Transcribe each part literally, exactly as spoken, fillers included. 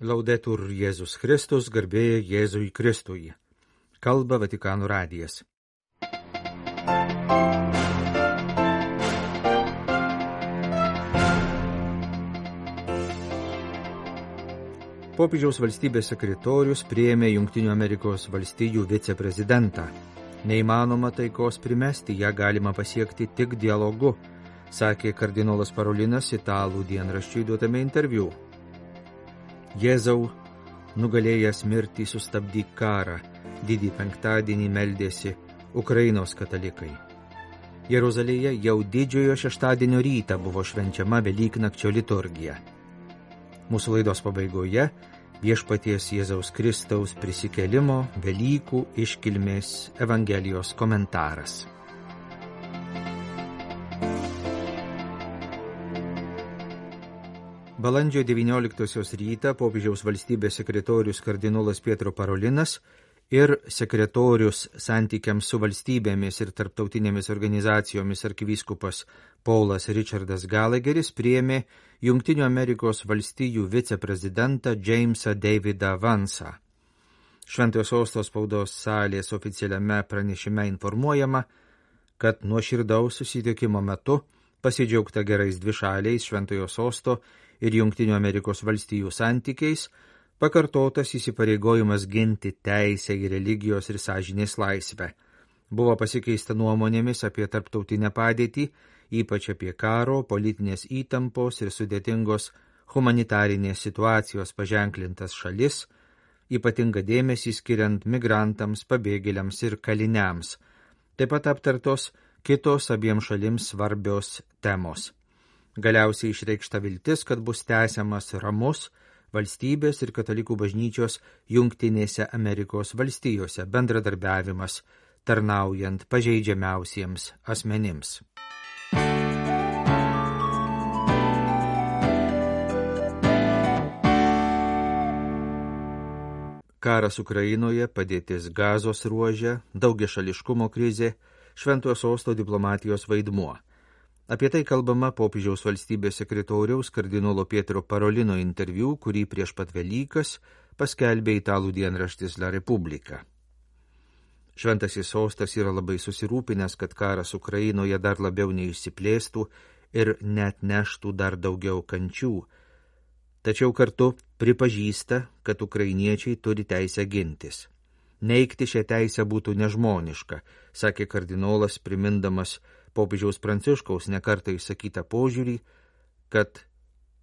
Laudetur Jėzus Kristus, garbė Jėzui Kristui. Kalba Vatikano radijas. Popiežiaus valstybės sekretorius priėmė Jungtinių Amerikos valstijų viceprezidentą. Neįmanoma taikos primesti, ją galima pasiekti tik dialogu, sakė kardinolas Parolinas italų dienraščiui duotame interviu. Jėzau, nugalėjęs mirtį, sustabdyk karą, didį penktadienį meldėsi Ukrainos katalikai. Jeruzalėje jau didžiojo šeštadienio rytą buvo švenčiama Velyknakčio liturgija. Mūsų laidos pabaigoje Viešpaties Jėzaus Kristaus prisikėlimo Velykų iškilmės Evangelijos komentaras. Balandžio devynioliktosios rytą popiežiaus valstybės sekretorius kardinolas Pietro Parolinas ir sekretorius santykiams su valstybėmis ir tarptautinėmis organizacijomis arkivyskupas Paulas Richardas Gallagheris priėmė Jungtinių Amerikos valstijų viceprezidentą Jamesą Davidą Vansą. Šventojo sosto spaudos salės oficialiame pranešime informuojama, kad nuoširdaus susitikimo metu pasidžiaugta gerais dvišaliais Šventojo sosto ir Jungtinių Amerikos valstijų santykiais, pakartotas įsipareigojimas ginti teisę į religijos ir sąžinės laisvę. Buvo pasikeista nuomonėmis apie tarptautinę padėtį, ypač apie karo, politinės įtampos ir sudėtingos humanitarinės situacijos paženklintas šalis, ypatinga dėmesį skiriant migrantams, pabėgėliams ir kaliniams. Taip pat aptartos kitos abiem šalims svarbios temos. Galiausiai išreikšta viltis, kad bus tęsiamas ramus valstybės ir katalikų bažnyčios Jungtinėse Amerikos valstijose bendradarbiavimas, tarnaujant pažeidžiamiausiems asmenims. Karas Ukrainoje, padėtis Gazos ruože, daugiašališkumo krizė, Šventojo sosto diplomatijos vaidmuo. Apie tai kalbama popiežiaus valstybės sekretoriaus kardinolo Pietro Parolino interviu, kurį prieš pat Velykas paskelbė italų dienraštis La Repubblica. Šventasis sostas yra labai susirūpinęs, kad karas Ukrainoje dar labiau neišsiplėstų ir net neštų dar daugiau kančių. Tačiau kartu pripažįsta, kad ukrainiečiai turi teisę gintis. Neigti šią teisę būtų nežmoniška, sakė kardinolas, primindamas popiežiaus Pranciškaus nekartą išsakytą požiūrį, kad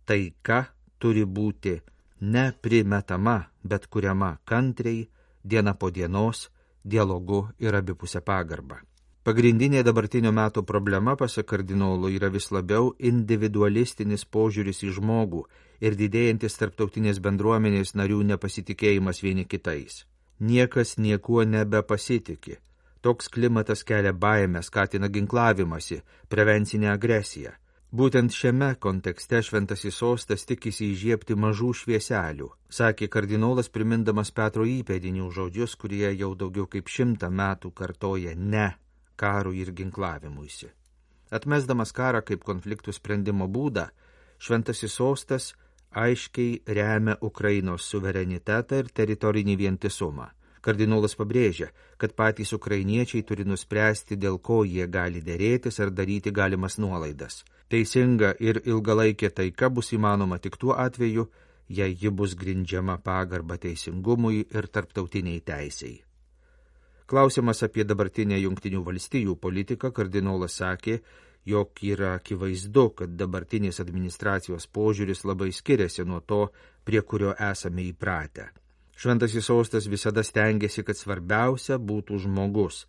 taika turi būti ne primetama, bet kuriama kantriai, diena po dienos, dialogu ir abipusę pagarbą. Pagrindinė dabartinio meto problema, pasak kardinolo, yra vis labiau individualistinis požiūris į žmogų ir didėjantis tarptautinės bendruomenės narių nepasitikėjimas vieni kitais. Niekas niekuo nebepasitikė. Toks klimatas kelia baimę, skatina ginklavimąsi, prevencinę agresiją. Būtent šiame kontekste Šventasis sostas tikisi įžiebti mažų švieselių, sakė kardinolas, primindamas Petro įpėdinių žodžius, kurie jau daugiau kaip šimtą metų kartoja ne karui ir ginklavimuisi. Atmesdamas karą kaip konfliktų sprendimo būdą, Šventasis sostas aiškiai remia Ukrainos suverenitetą ir teritorinį vientisumą. Kardinolas pabrėžia, kad patys ukrainiečiai turi nuspręsti, dėl ko jie gali dėrėtis ar daryti galimas nuolaidas. Teisinga ir ilgalaikė taika bus įmanoma tik tuo atveju, jei ji bus grindžiama pagarba teisingumui ir tarptautiniai teisei. Klausimas apie dabartinę Jungtinių valstijų politiką, kardinolas sakė, jog yra akivaizdu, kad dabartinės administracijos požiūris labai skiriasi nuo to, prie kurio esame įpratę. Šventasis sostas visada stengiasi, kad svarbiausia būtų žmogus,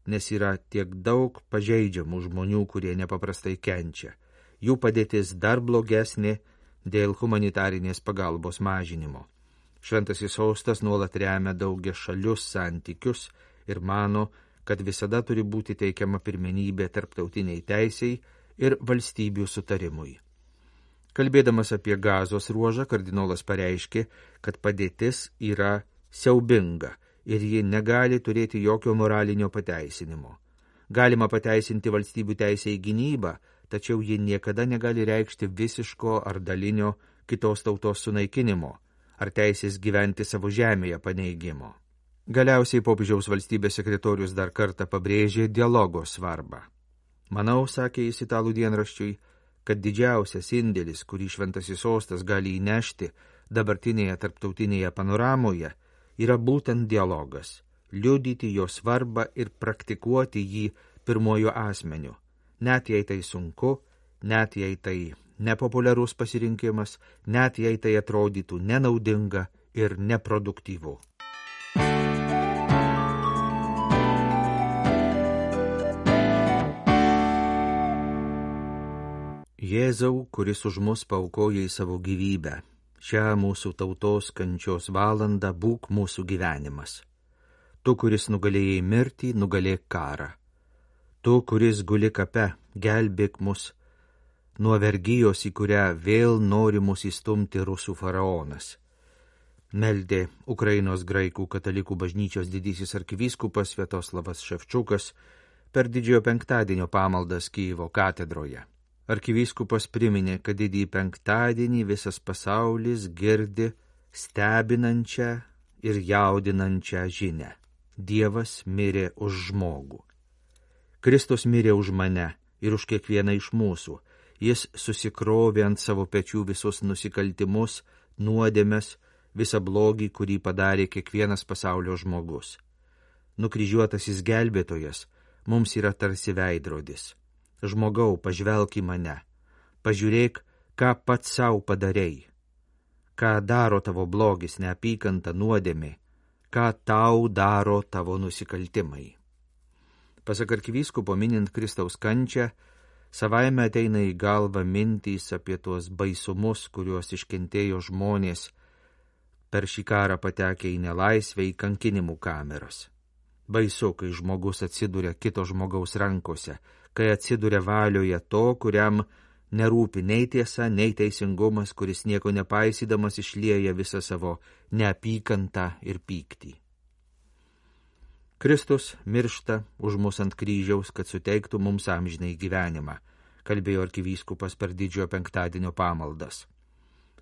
nes yra tiek daug pažeidžiamų žmonių, kurie nepaprastai kenčia. Jų padėtis dar blogesnė dėl humanitarinės pagalbos mažinimo. Šventasis sostas nuolat remia daugia šalius santykius ir mano, kad visada turi būti teikiama pirmenybė tarptautiniai teisei ir valstybių sutarimui. Kalbėdamas apie Gazos ruožą, kardinolas pareiškė, kad padėtis yra siaubinga ir ji negali turėti jokio moralinio pateisinimo. Galima pateisinti valstybių teisę į gynybą, tačiau ji niekada negali reikšti visiško ar dalinio kitos tautos sunaikinimo ar teisės gyventi savo žemėje paneigimo. Galiausiai popiežiaus valstybės sekretorius dar kartą pabrėžė dialogo svarbą. Manau, sakė jis italų dienraščiui, kad didžiausias indėlis, kurį šventasis sostas gali įnešti dabartinėje tarptautinėje panoramoje, yra būtent dialogas, liudyti jo svarbą ir praktikuoti jį pirmojo asmeniu, net jei tai sunku, net jei tai nepopuliarus pasirinkimas, net jei tai atrodytų nenaudinga ir neproduktyvu. Jėzau, kuris už mus paaukojai savo gyvybę, šią mūsų tautos kančios valandą būk mūsų gyvenimas. Tu, kuris nugalėjai mirtį, nugalėk karą. Tu, kuris guli kape, gelbėk mus nuo vergijos, į kurią vėl nori mus įstumti rusų faraonas. Meldė Ukrainos graikų katalikų bažnyčios didysis arkivyskupas Sviatoslavas Ševčukas per didžiojo penktadienio pamaldas Kijevo katedroje. Arkivyskupas priminė, kad didįjį penktadienį visas pasaulis girdi stebinančią ir jaudinančią žinią. Dievas mirė už žmogų. Kristus mirė už mane ir už kiekvieną iš mūsų. Jis susikrovė ant savo pečių visus nusikaltimus, nuodėmes, visą blogį, kurį padarė kiekvienas pasaulio žmogus. Nukryžiuotasis gelbėtojas mums yra tarsi veidrodis. Žmogau, pažvelk į mane, pažiūrėk, ką pats savo padarei, ką daro tavo blogis, neapykanta, nuodėmė, ką tau daro tavo nusikaltimai. Pasak arkivyskupo, minint Kristaus kančią, savaime ateina į galvą mintys apie tuos baisumus, kuriuos iškentėjo žmonės per šį karą patekę į nelaisvę, į kankinimų kameras. Baisu, kai žmogus atsiduria kito žmogaus rankose, kai atsiduria valioje to, kuriam nerūpi nei tiesa, nei teisingumas, kuris nieko nepaisydamas išlieja visą savo neapykantą ir pyktį. Kristus miršta už mus ant kryžiaus, kad suteiktų mums amžinai gyvenimą, kalbėjo arkivyskupas per didžiojo penktadienio pamaldas.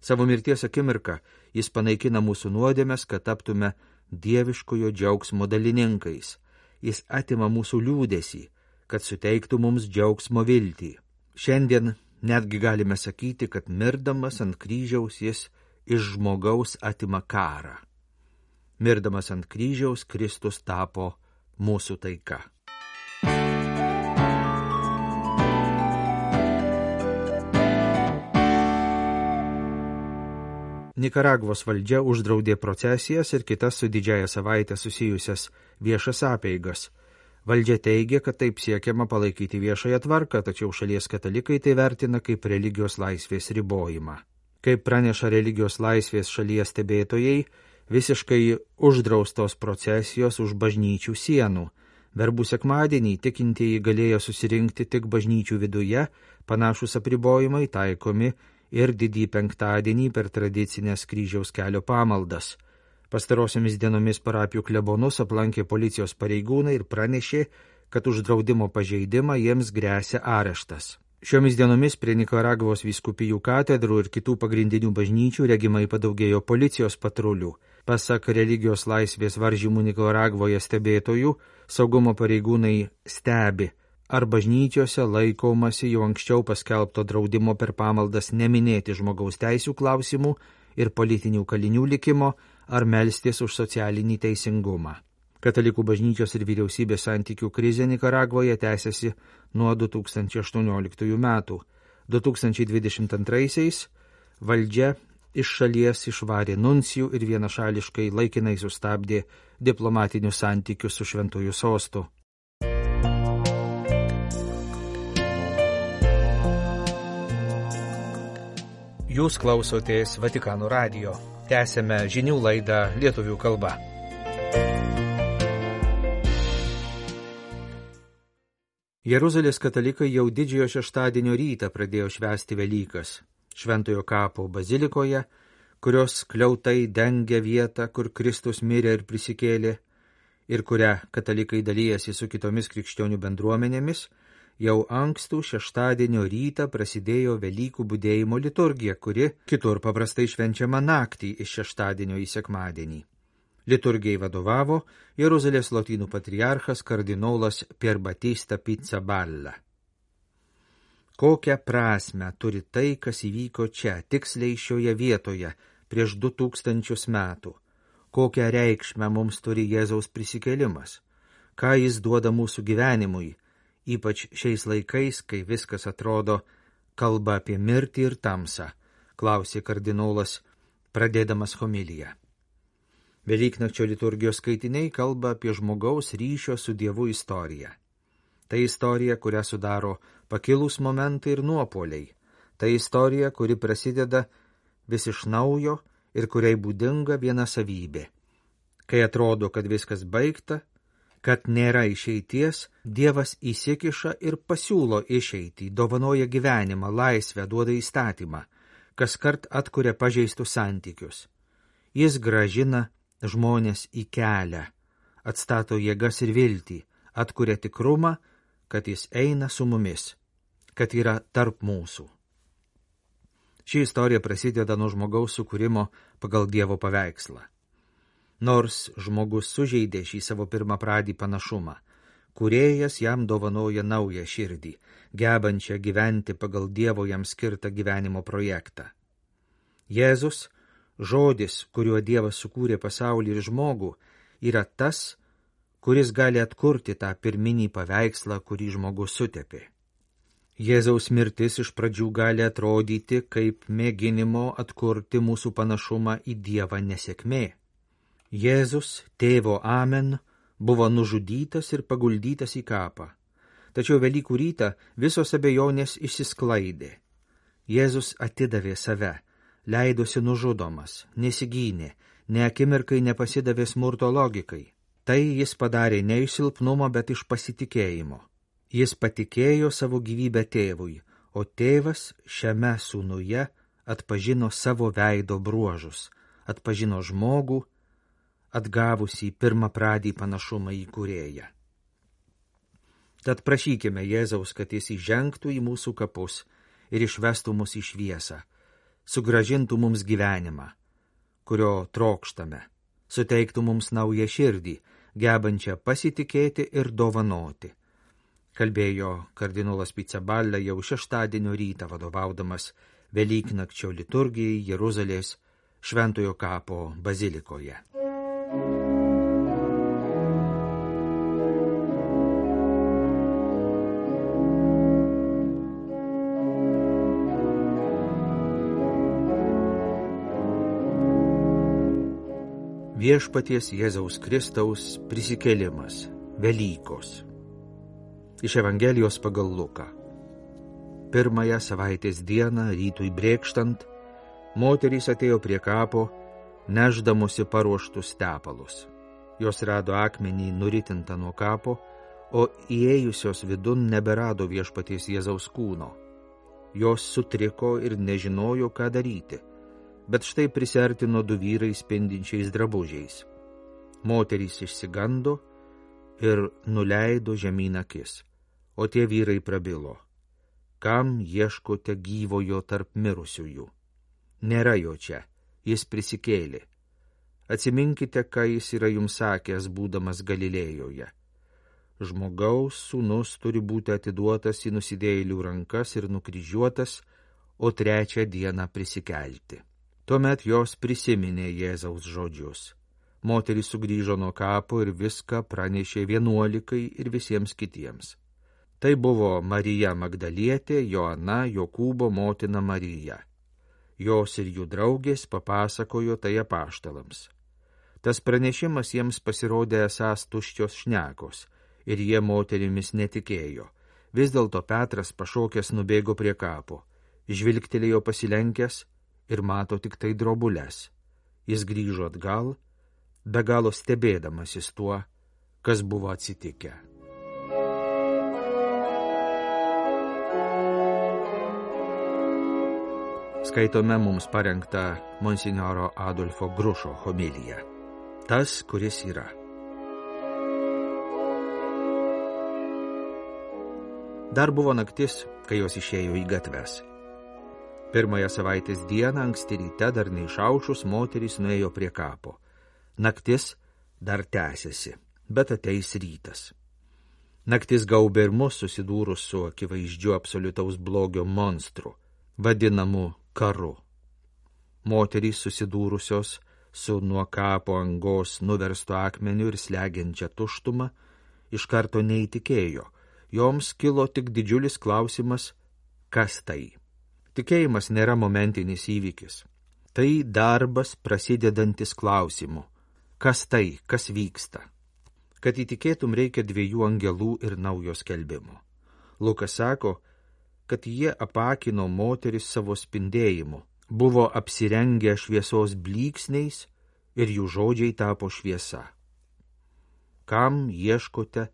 Savo mirties akimirką jis panaikina mūsų nuodėmes, kad taptume dieviškojo džiaugsmo dalininkais. Jis atima mūsų liūdesį, kad suteiktų mums džiaugsmo viltį. Šiandien netgi galime sakyti, kad mirdamas ant kryžiaus jis iš žmogaus atima karą. Mirdamas ant kryžiaus Kristus tapo mūsų taika. Nikaragvos valdžia uždraudė procesijas ir kitas su didžiąja savaitė susijusias viešas apeigas. Valdžia teigia, kad taip siekiama palaikyti viešąją tvarką, tačiau šalies katalikai tai vertina kaip religijos laisvės ribojimą. Kaip praneša religijos laisvės šalies stebėtojai, visiškai uždraustos procesijos už bažnyčių sienų. Verbų sekmadienį tikintieji galėjo susirinkti tik bažnyčių viduje, panašus apribojimai taikomi ir didįjį penktadienį per tradicinės kryžiaus kelio pamaldas. Pastarosiomis dienomis parapijų klebonus aplankė policijos pareigūnai ir pranešė, kad už draudimo pažeidimą jiems gresia areštas. Šiomis dienomis prie Nikaragvos vyskupijų katedrų ir kitų pagrindinių bažnyčių regimai padaugėjo policijos patrulių. Pasak religijos laisvės varžymų Nikaragvoje stebėtojų, saugumo pareigūnai stebi, ar bažnyčiose laikomasi jau anksčiau paskelbto draudimo per pamaldas neminėti žmogaus teisių klausimų ir politinių kalinių likimo, ar melstis už socialinį teisingumą. Katalikų bažnyčios ir vyriausybės santykių krizė Nikaragvoje tęsiasi nuo du tūkstančiai aštuonioliktųjų metų. du tūkstančiai dvidešimt antraisiais valdžia iš šalies išvarė nuncijų ir vienašališkai laikinai sustabdė diplomatinius santykius su šventuoju sostu. Jūs klausotės Vatikano radijo. Tęsėme žinių laidą lietuvių kalba. Jeruzalės katalikai jau didžiojo šeštadienio rytą pradėjo švęsti Velykas Šventojo kapo bazilikoje, kurios skliautai dengia vietą, kur Kristus mirė ir prisikėlė, ir kurią katalikai dalyjasi su kitomis krikščionių bendruomenėmis. jau ankstų šeštadienio rytą prasidėjo Velykų budėjimo liturgija, kuri kitur paprastai švenčiama naktį iš šeštadienio į sekmadienį. Liturgijai vadovavo Jeruzalės lotynų patriarchas kardinolas Pier Battista Pizzaballa. Kokią prasmę turi tai, kas įvyko čia, tiksliai šioje vietoje, prieš du tūkstančius metų? Kokią reikšmę mums turi Jėzaus prisikėlimas? Ką jis duoda mūsų gyvenimui, ypač šiais laikais, kai viskas atrodo kalba apie mirtį ir tamsą, klausė kardinolas, pradėdamas homiliją. Velyknakčio liturgijos skaitiniai kalba apie žmogaus ryšio su Dievu istoriją. Tai istorija, kurią sudaro pakilūs momentai ir nuopuoliai. Tai istorija, kuri prasideda vis iš naujo ir kuriai būdinga viena savybė. Kai atrodo, kad viskas baigta, kad nėra išeities, Dievas įsikiša ir pasiūlo išeitį, dovanoja gyvenimą, laisvę, duoda įstatymą, kaskart atkuria pažeistus santykius. Jis gražina žmonės į kelią, atstato jėgas ir viltį, atkuria tikrumą, kad jis eina su mumis, kad yra tarp mūsų. Ši istorija prasideda nuo žmogaus sukūrimo pagal Dievo paveikslą. Nors žmogus sužeidė šį savo pirmapradį panašumą, Kūrėjas jam dovanoja naują širdį, gebančią gyventi pagal Dievo jam skirtą gyvenimo projektą. Jėzus, žodis, kuriuo Dievas sukūrė pasaulį ir žmogų, yra tas, kuris gali atkurti tą pirminį paveikslą, kurį žmogus sutepė. Jėzaus mirtis iš pradžių gali atrodyti kaip mėginimo atkurti mūsų panašumą į Dievą nesėkmė. Jėzus, tėvo amen, buvo nužudytas ir paguldytas į kapą. Tačiau Velykų rytą visos abejonės išsisklaidė. Jėzus atidavė save, leidosi nužudomas, nesigynė, ne akimirkai nepasidavė smurto logikai. Tai jis padarė ne iš silpnumo, bet iš pasitikėjimo. Jis patikėjo savo gyvybę tėvui, o tėvas šiame sūnuje atpažino savo veido bruožus, atpažino žmogų, atgavusį pirmapradį panašumą į Kūrėją. Tad prašykime Jėzaus, kad jis įžengtų į mūsų kapus ir išvestų mus į šviesą, sugrąžintų mums gyvenimą, kurio trokštame, suteiktų mums naują širdį, gebančią pasitikėti ir dovanoti. Kalbėjo kardinolas Pizzaballa jau šeštadienio rytą vadovaudamas Velyknakčio liturgijai Jeruzalės Šventojo kapo bazilikoje. Viešpaties Jėzaus Kristaus prisikėlimas, Velykos. Iš Evangelijos pagal Luką. Pirmąją savaitės dieną, rytui brėkštant, moterys atėjo prie kapo, nešdamosi paruoštus tepalus. Jos rado akmenį nuritintą nuo kapo, o įėjusios vidun neberado Viešpaties Jėzaus kūno. Jos sutriko ir nežinojo, ką daryti, bet štai prisiartino du vyrai spindinčiais drabužiais. Moterys išsigando ir nuleido žemyn akis, o tie vyrai prabilo: kam ieškote gyvojo tarp mirusiųjų? Nėra jo čia, jis prisikėlė. Atsiminkite, ką jis yra jums sakęs, būdamas Galilėjoje. Žmogaus sūnus turi būti atiduotas į nusidėjėlių rankas ir nukryžiuotas, o trečią dieną prisikelti. Tuomet jos prisiminė Jėzaus žodžius. Moteris sugrįžo nuo kapo ir viską pranešė vienuolikai ir visiems kitiems. Tai buvo Marija Magdalietė, Joana, Jokūbo motina Marija. Jos ir jų draugės papasakojo tai apaštalams. Tas pranešimas jiems pasirodė esąs tuščios šnekos, ir jie moterimis netikėjo. Vis dėlto Petras pašokęs nubėgo prie kapo, žvilgtelėjo pasilenkęs ir mato tik tai drobules. Jis grįžo atgal, be galo stebėdamasis tuo, kas buvo atsitikę. Skaitome mums parengtą monsinjoro Adolfo Grušo homiliją. Tas, kuris yra. Dar buvo naktis, kai jos išėjo į gatves. Pirmąją savaitės dieną anksti ryte dar neišaušus moterys nuėjo prie kapo. Naktis dar tęsiasi, bet ateis rytas. Naktis gaubė ir mus susidūrus su akivaizdžiu absoliutaus blogio monstru, vadinamu karu. Moterys susidūrusios su nuo kapo angos nuverstu akmeniu ir slegiančia tuštuma, iš karto neįtikėjo. Joms kilo tik didžiulis klausimas, kas tai. Tikėjimas nėra momentinis įvykis. Tai darbas prasidedantis klausimu. Kas tai, kas vyksta? Kad įtikėtum, reikia dviejų angelų ir naujo skelbimo. Lukas sako, kad jie apakino moteris savo spindėjimu, buvo apsirengę šviesos blyksniais ir jų žodžiai tapo šviesa. Kam ieškote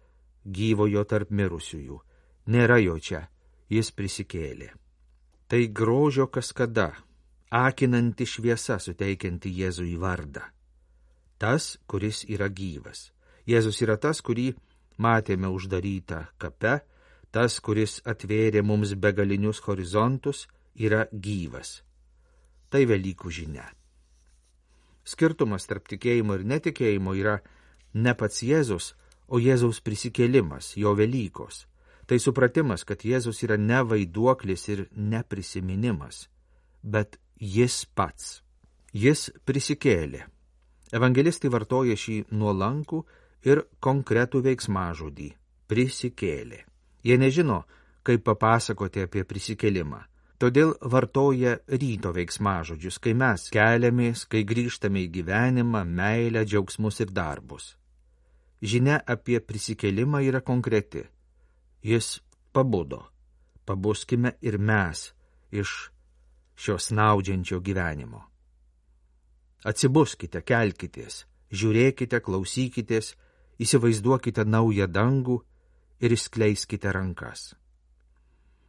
gyvojo tarp mirusiųjų? Nėra jo čia, jis prisikėlė. Tai grožio kaskada, akinanti šviesa suteikianti Jėzui vardą. Tas, kuris yra gyvas. Jėzus yra tas, kurį matėme uždarytą kape, tas, kuris atvėrė mums begalinius horizontus, yra gyvas. Tai Velykų žinia. Skirtumas tarp tikėjimo ir netikėjimo yra ne pats Jėzus, o Jėzaus prisikėlimas, jo Velykos. Tai supratimas, kad Jėzus yra ne vaiduoklis ir ne prisiminimas, bet jis pats. Jis prisikėlė. Evangelistai vartoja šį nuolankų ir konkretų veiksmažodį – prisikėlė. Jie nežino, kaip papasakoti apie prisikėlimą. Todėl vartoja ryto veiksmažodžius, kai mes keliamės, kai grįžtame į gyvenimą, meilę, džiaugsmus ir darbus. Žinia apie prisikėlimą yra konkreti. Jis pabudo. Pabuskime ir mes iš šio snaudžiančio gyvenimo. Atsibuskite, kelkitės, žiūrėkite, klausykitės, įsivaizduokite naują dangų ir išskleiskite rankas.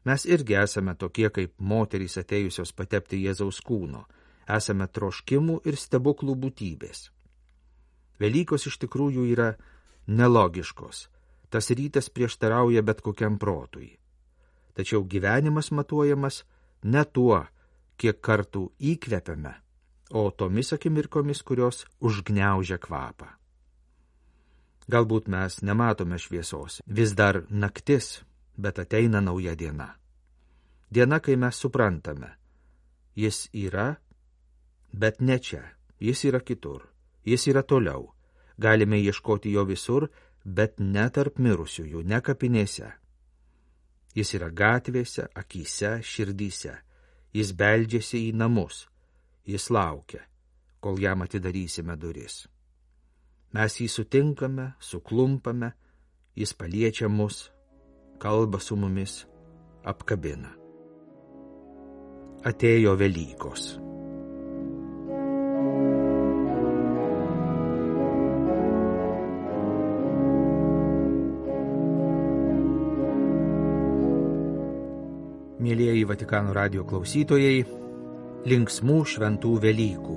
Mes irgi esame tokie kaip moterys atėjusios patepti Jėzaus kūno, esame troškimų ir stebuklų būtybės. Velykos iš tikrųjų yra nelogiškos, tas rytas prieštarauja bet kokiam protui. Tačiau gyvenimas matuojamas ne tuo, kiek kartų įkvepiame, o tomis akimirkomis, kurios užgniaužia kvapą. Galbūt mes nematome šviesos, vis dar naktis, bet ateina nauja diena. Diena, kai mes suprantame, jis yra, bet ne čia, jis yra kitur, jis yra toliau. Galime ieškoti jo visur, bet ne tarp mirusiųjų, ne kapinėse. Jis yra gatvėse, akyse, širdyse. Jis beldžiasi į namus. Jis laukia, kol jam atidarysime duris. Mes jį sutinkame, suklumpame, jis paliečia mus, kalba su mumis, apkabina. Atėjo Velykos. Mielieji Vatikano radijo klausytojai, linksmų šventų Velykų.